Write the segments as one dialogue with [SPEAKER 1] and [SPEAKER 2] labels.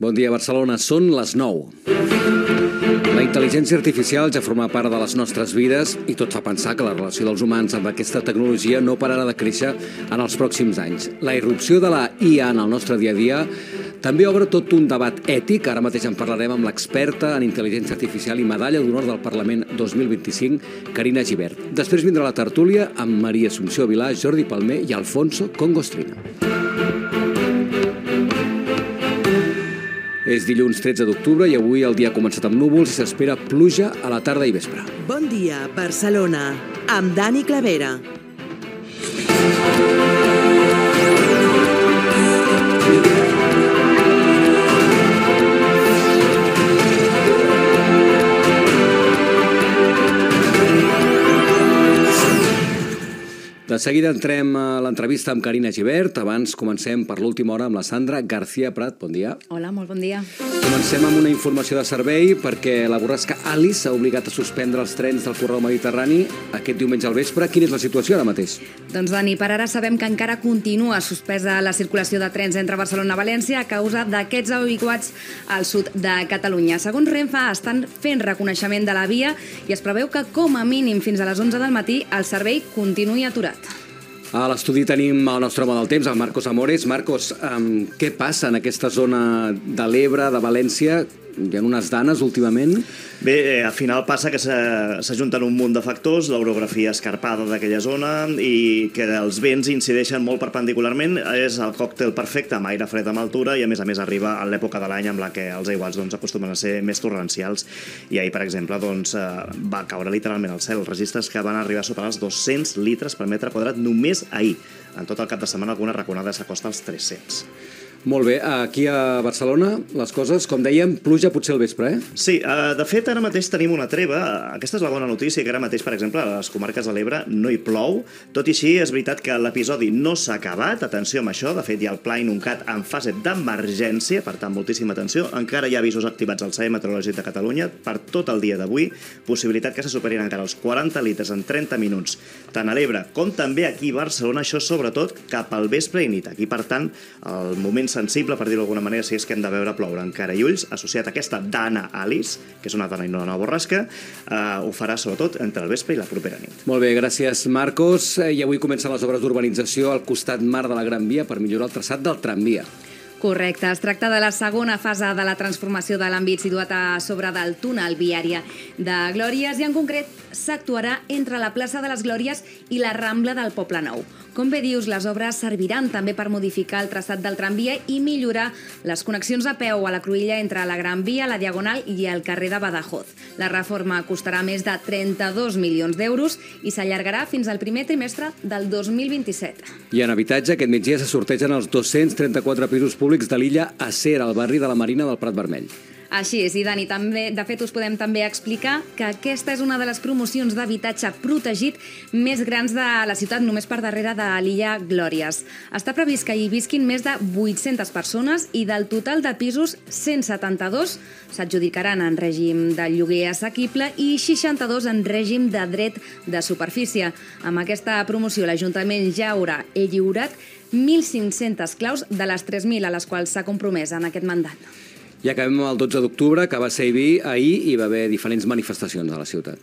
[SPEAKER 1] Bon dia, Barcelona. Són les 9. La intel·ligència artificial ja forma part de les nostres vides i tot fa pensar que la relació dels humans amb aquesta tecnologia no pararà de créixer en els pròxims anys. La irrupció de la IA en el nostre dia a dia també obre tot un debat ètic. Ara mateix en parlarem amb l'experta en intel·ligència artificial i medalla d'honor del Parlament 2025, Carina Gibert. Després vindrà la tertúlia amb Maria Assumpció Vilà, Jordi Palmer i Alfonso Congostrina. És dilluns 13 d'octubre i avui el dia ha començat amb núvols i s'espera pluja a la tarda i vespre.
[SPEAKER 2] Bon dia, Barcelona, amb Dani Clavera.
[SPEAKER 1] De seguida entrem a l'entrevista amb Carina Gibert. Abans comencem per l'última hora amb la Sandra García Prat. Bon dia.
[SPEAKER 3] Hola, molt bon dia.
[SPEAKER 1] Comencem amb una informació de servei perquè la borrasca Alice ha obligat a suspendre els trens del corredor mediterrani aquest diumenge al vespre. Quina és la situació ara mateix?
[SPEAKER 3] Doncs, Dani, per ara sabem que encara continua suspesa la circulació de trens entre Barcelona i València a causa d'aquests aiguats al sud de Catalunya. Segons Renfe, estan fent reconeixement de la via i es preveu que, com a mínim fins a les 11 del matí, el servei continuï aturat.
[SPEAKER 1] A l'estudi tenim el nostre home del temps, el Marcos Amores. Marcos, què passa en aquesta zona de l'Ebre, de València? Hi ha unes danes últimament?
[SPEAKER 4] Bé, al final passa que s'ajunten un munt de factors, l'orografia escarpada d'aquella zona i que els vents incideixen molt perpendicularment. És el còctel perfecte amb aire fred amb altura i a més arriba a l'època de l'any amb la que els aiguats acostumen a ser més torrencials. I ahir, per exemple, va caure literalment al cel. Registres que van arribar a superar els 200 litres per metre quadrat només ahir. En tot el cap de setmana alguna raconada s'acosta als 300.
[SPEAKER 1] Molt bé, aquí a Barcelona les coses, com dèiem, pluja potser al vespre, eh?
[SPEAKER 4] Sí, de fet ara mateix tenim una treva. Aquesta és la bona notícia, que ara mateix, per exemple, a les comarques de l'Ebre no hi plou. Tot i així, és veritat que l'episodi no s'ha acabat. Atenció amb això, de fet hi ha el Pla Inuncat en fase d'emergència, per tant, moltíssima atenció. Encara hi ha avisos activats al Servei Meteorològic de Catalunya per tot el dia d'avui. Possibilitat que se superin encara els 40 litres en 30 minuts, tant a l'Ebre com també aquí a Barcelona, això sobretot cap al vespre i nit. Aquí, per tant, el moment sensible, per dir-ho d'alguna manera, si és que hem de veure ploure encara i ulls, associat a aquesta dana Alice, que és una dana i no una borrasca, ho farà sobretot entre el vespre i la propera nit.
[SPEAKER 1] Molt bé, gràcies Marcos. I avui comencen les obres d'urbanització al costat mar de la Gran Via per millorar el traçat del tramvia.
[SPEAKER 3] Correcte, es tracta de la segona fase de la transformació de l'àmbit situat a sobre del túnel viària de Glòries i en concret s'actuarà entre la plaça de les Glòries i la Rambla del Poble Nou. Com bé dius, les obres serviran també per modificar el traçat del tramvia i millorar les connexions a peu a la cruïlla entre la Gran Via, la Diagonal i el carrer de Badajoz. La reforma costarà més de 32 milions d'euros i s'allargarà fins al primer trimestre del 2027.
[SPEAKER 1] I en habitatge, aquest migdia se sortegen els 234 pisos públics de l'illa Acer, al barri de la Marina del Prat Vermell.
[SPEAKER 3] Així és, i Dani, també, de fet us podem també explicar que aquesta és una de les promocions d'habitatge protegit més grans de la ciutat, només per darrere de l'illa Glòries. Està previst que hi visquin més de 800 persones i del total de pisos, 172 s'adjudicaran en règim de lloguer assequible i 62 en règim de dret de superfície. Amb aquesta promoció l'Ajuntament ja haurà lliurat 1.500 claus de les 3.000 a les quals s'ha compromès en aquest mandat.
[SPEAKER 1] I acabem el 12 d'octubre, que va ser ahir i va haver diferents manifestacions a la ciutat.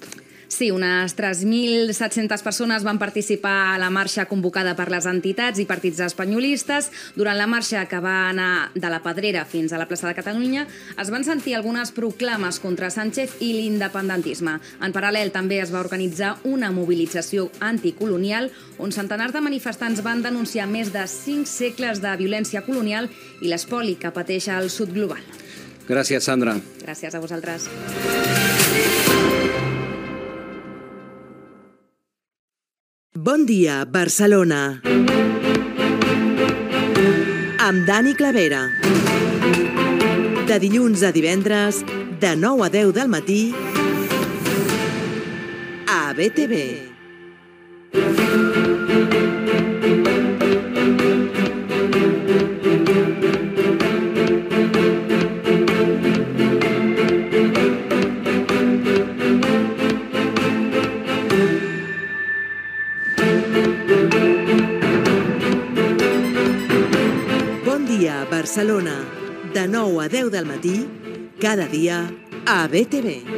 [SPEAKER 3] Sí, unes 3.700 persones van participar a la marxa convocada per les entitats i partits espanyolistes. Durant la marxa, que va anar de la Pedrera fins a la plaça de Catalunya, es van sentir algunes proclames contra Sánchez i l'independentisme. En paral·lel, també es va organitzar una mobilització anticolonial on centenars de manifestants van denunciar més de 5 segles de violència colonial i l'espoli que pateix el sud global.
[SPEAKER 1] Gràcies, Sandra.
[SPEAKER 3] Gràcies a vosaltres.
[SPEAKER 2] Bon dia, Barcelona. Amb Dani Clavera. De dilluns a divendres, de 9 a 10 del matí, a BTV. Barcelona, de 9 a a 10 del matí, cada dia a BTV.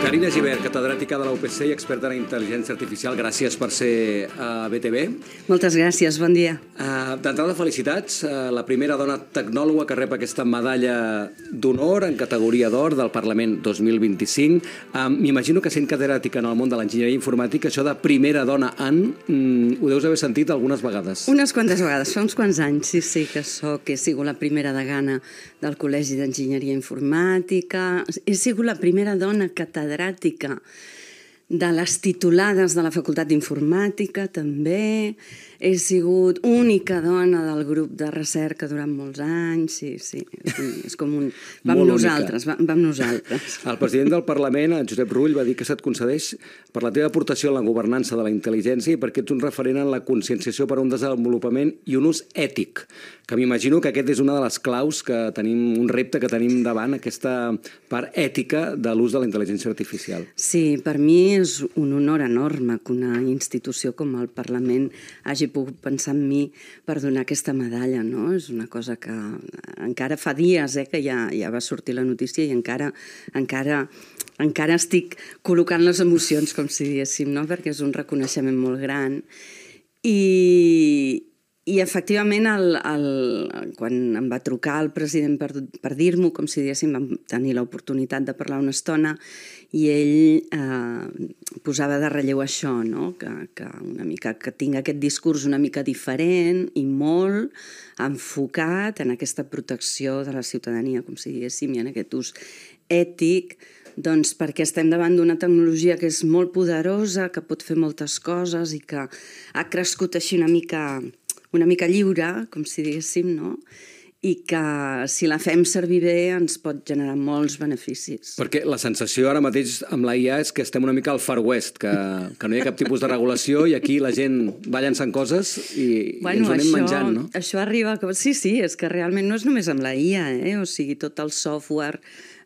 [SPEAKER 1] Carina Gibert, catedràtica de la UPC i experta en intel·ligència artificial, gràcies per ser a BTV.
[SPEAKER 5] Moltes gràcies, bon dia.
[SPEAKER 1] D'entrada, felicitats. La primera dona tecnòloga que rep aquesta medalla d'honor en categoria d'or del Parlament 2025. M'imagino que sent catedràtica en el món de l'enginyeria informàtica, això de primera dona en, ho deus haver sentit algunes vegades.
[SPEAKER 5] Unes quantes vegades, fa uns quants anys, sí, que he sigut la primera degana del Col·legi d'Enginyeria Informàtica, he sigut la primera dona catedràtica de les titulades de la Facultat d'Informàtica, també. He sigut única dona del grup de recerca durant molts anys, sí. És com un... Vam nosaltres.
[SPEAKER 1] El president del Parlament, en Josep Rull, va dir que se't concedeix per la teva aportació en la governança de la intel·ligència i perquè ets un referent en la conscienciació per a un desenvolupament i un ús ètic, que m'imagino que aquest és una de les claus que tenim, un repte que tenim davant, aquesta part ètica de l'ús de la intel·ligència artificial.
[SPEAKER 5] Sí, per mi és un honor enorme que una institució com el Parlament hagi pogut pensar en mi per donar aquesta medalla, no? És una cosa que encara fa dies que ja va sortir la notícia i encara estic col·locant les emocions, com si diguéssim, no? Perquè és un reconeixement molt gran. I efectivament, quan em va trucar el president per dir-m'ho, com si diguéssim, vam tenir l'oportunitat de parlar una estona i ell posava de relleu això, no? Que una mica que tinc aquest discurs una mica diferent i molt enfocat en aquesta protecció de la ciutadania, com si diguéssim, i en aquest ús ètic, doncs perquè estem davant d'una tecnologia que és molt poderosa, que pot fer moltes coses i que ha crescut així una mica lliure, com si diguéssim, no? I que si la fem servir bé ens pot generar molts beneficis.
[SPEAKER 1] Perquè la sensació ara mateix amb la IA és que estem una mica al Far West, que no hi ha cap tipus de regulació i aquí la gent va llançant coses i ens ho anem menjant, no?
[SPEAKER 5] Això arriba... Sí, és que realment no és només amb la IA, o sigui, tot el software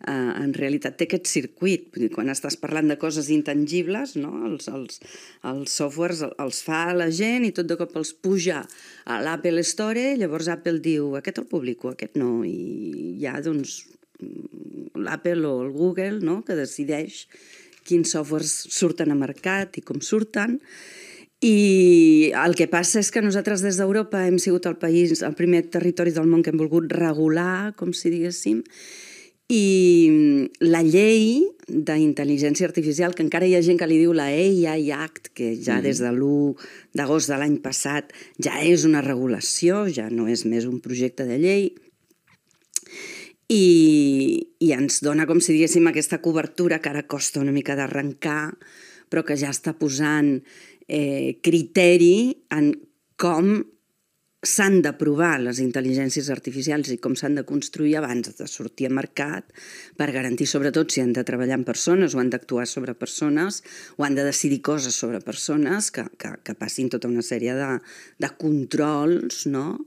[SPEAKER 5] en realitat té aquest circuit. Quan estàs parlant de coses intangibles, no? Els softwares els fa la gent i tot de cop els puja a l'Apple Store, llavors Apple diu aquest el publico, aquest no, i hi ha doncs l'Apple o el Google, no? Que decideix quins softwares surten a mercat i com surten. I el que passa és que nosaltres des d'Europa hem sigut el primer territori del món que hem volgut regular, com si diguéssim, i la llei d'intel·ligència artificial, que encara hi ha gent que li diu la AI Act, que ja des de l'1 d'agost de l'any passat ja és una regulació, ja no és més un projecte de llei, i ens dona, com si diguéssim, aquesta cobertura que ara costa una mica d'arrencar, però que ja està posant criteri en com s'han d'aprovar les intel·ligències artificials i com s'han de construir abans de sortir a mercat per garantir, sobretot, si han de treballar amb persones o han d'actuar sobre persones o han de decidir coses sobre persones, que passin tota una sèrie de controls, no?,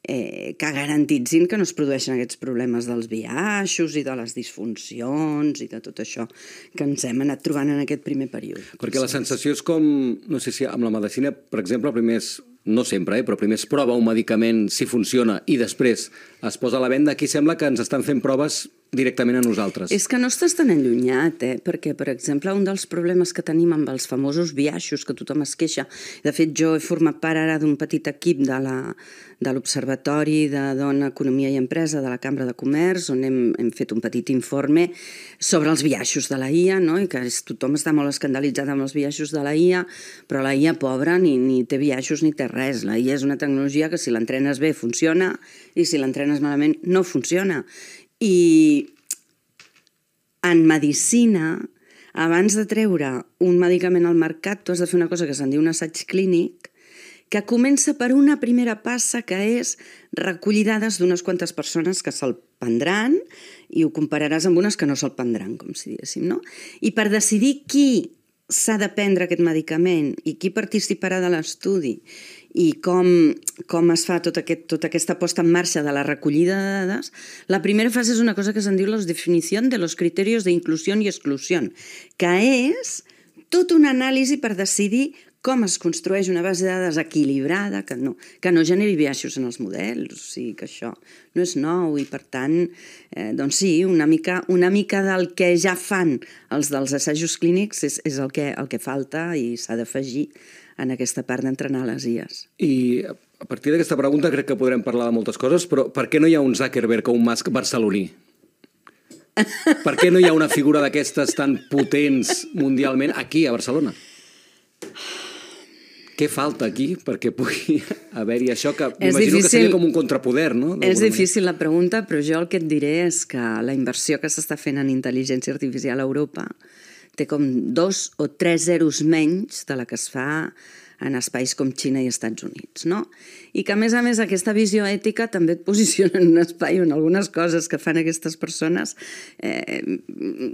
[SPEAKER 5] que garantitzin que no es produeixen aquests problemes dels biaixos i de les disfuncions i de tot això que ens hem anat trobant en aquest primer període.
[SPEAKER 1] Perquè la sensació és com, no sé si amb la medicina, per exemple, primer és, no sempre, però primer es prova un medicament si funciona i després es posa a la venda. Aquí sembla que ens estan fent proves directament a nosaltres.
[SPEAKER 5] És que no estàs tan allunyat, perquè, per exemple, un dels problemes que tenim amb els famosos biaixos, que tothom es queixa, de fet, jo he format part ara d'un petit equip de l'Observatori de Dona, Economia i Empresa de la Cambra de Comerç, on hem fet un petit informe sobre els biaixos de la IA, no? I que tothom està molt escandalitzat amb els biaixos de la IA, però la IA, pobra, ni té biaixos ni té res. La IA és una tecnologia que si l'entrenes bé funciona i si l'entrenes malament no funciona. I en medicina, abans de treure un medicament al mercat, tu has de fer una cosa que se'n diu un assaig clínic, que comença per una primera passa, que és recollir dades d'unes quantes persones que se'l prendran i ho compararàs amb unes que no se'l prendran, com si diguéssim, no? I per decidir qui s'ha de prendre aquest medicament i qui participarà de l'estudi i com es fa tota aquesta posta en marxa de la recollida de dades, la primera fase és una cosa que se'n diu la definició de los criterios de inclusión y exclusión, que és tota una anàlisi per decidir com es construeix una base de dades equilibrada que no generi biaixos en els models, o sigui que això no és nou i per tant, doncs sí, una mica del que ja fan els dels assajos clínics és el que falta i s'ha d'afegir en aquesta part d'entrenar les IAs.
[SPEAKER 1] I a partir d'aquesta pregunta crec que podrem parlar de moltes coses, però per què no hi ha un Zuckerberg o un Musk barceloní? Per què no hi ha una figura d'aquestes tan potents mundialment aquí, a Barcelona? Què falta aquí perquè pugui haver-hi això que m'imagino que seria com un contrapoder, no?
[SPEAKER 5] És difícil la pregunta, però jo el que et diré és que la inversió que s'està fent en intel·ligència artificial a Europa té com 2 o 3 zeros menys de la que es fa en espais com Xina i Estats Units, no? I que, a més, aquesta visió ètica també et posiciona en un espai on algunes coses que fan aquestes persones,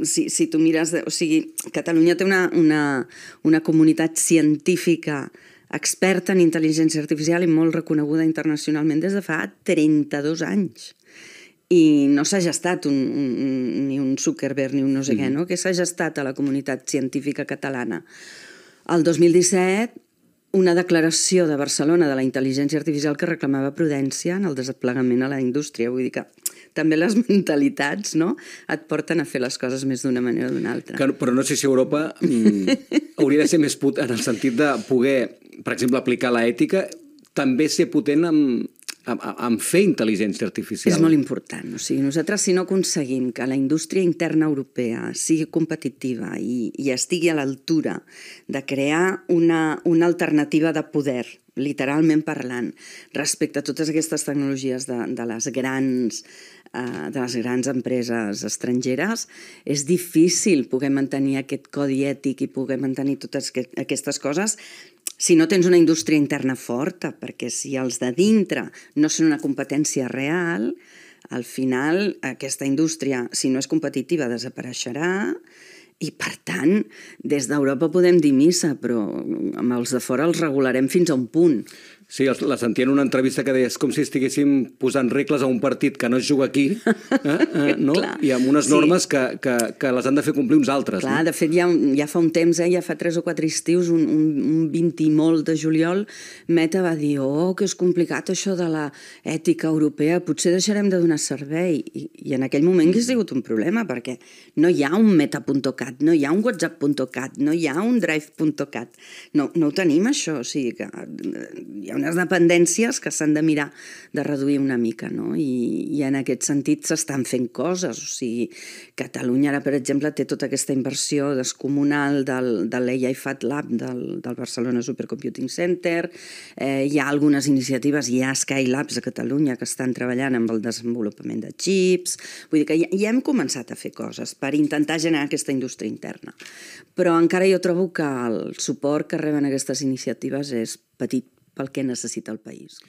[SPEAKER 5] si tu mires... O sigui, Catalunya té una comunitat científica experta en intel·ligència artificial i molt reconeguda internacionalment des de fa 32 anys. I no s'ha gestat ni un Zuckerberg ni un no sé què, no? Que s'ha gestat a la comunitat científica catalana. El 2017, una declaració de Barcelona de la intel·ligència artificial que reclamava prudència en el desplegament a la indústria. Vull dir que també les mentalitats, no?, et porten a fer les coses més d'una manera o d'una altra.
[SPEAKER 1] Però no sé si Europa hauria de ser més potent en el sentit de poder, per exemple, aplicar l'ètica, també ser potent en fer intel·ligència artificial.
[SPEAKER 5] És molt important. O sigui, nosaltres, si no aconseguim que la indústria interna europea sigui competitiva i estigui a l'altura de crear una alternativa de poder, literalment parlant, respecte a totes aquestes tecnologies de les grans empreses estrangeres, és difícil poder mantenir aquest codi ètic i poder mantenir totes aquestes coses si no tens una indústria interna forta, perquè si els de dintre no són una competència real, al final aquesta indústria, si no és competitiva, desapareixerà i, per tant, des d'Europa podem dir missa, però amb els de fora els regularem fins a un punt.
[SPEAKER 1] Sí, la sentia en una entrevista que deia és com si estiguéssim posant regles a un partit que no es juga aquí, no? I amb unes normes que les han de fer complir uns altres.
[SPEAKER 5] Clar, de fet, ja fa un temps, ja fa 3 o 4 estius, un 20 i molt de juliol, Meta va dir, que és complicat això de la ètica europea, potser deixarem de donar servei. I en aquell moment hauria sigut un problema, perquè no hi ha un meta.cat, no hi ha un whatsapp.cat, no hi ha un drive.cat. No ho tenim, això, o sigui que hi ha unes dependències que s'han de mirar de reduir una mica, no? I en aquest sentit s'estan fent coses. O sigui, Catalunya ara, per exemple, té tota aquesta inversió descomunal de l'AI Fat Lab del Barcelona Supercomputing Center. Hi ha algunes iniciatives, hi ha Skylabs a Catalunya que estan treballant amb el desenvolupament de xips. Vull dir que ja hem començat a fer coses per intentar generar aquesta indústria interna. Però encara jo trobo que el suport que reben aquestes iniciatives és petit pel que necessita el país.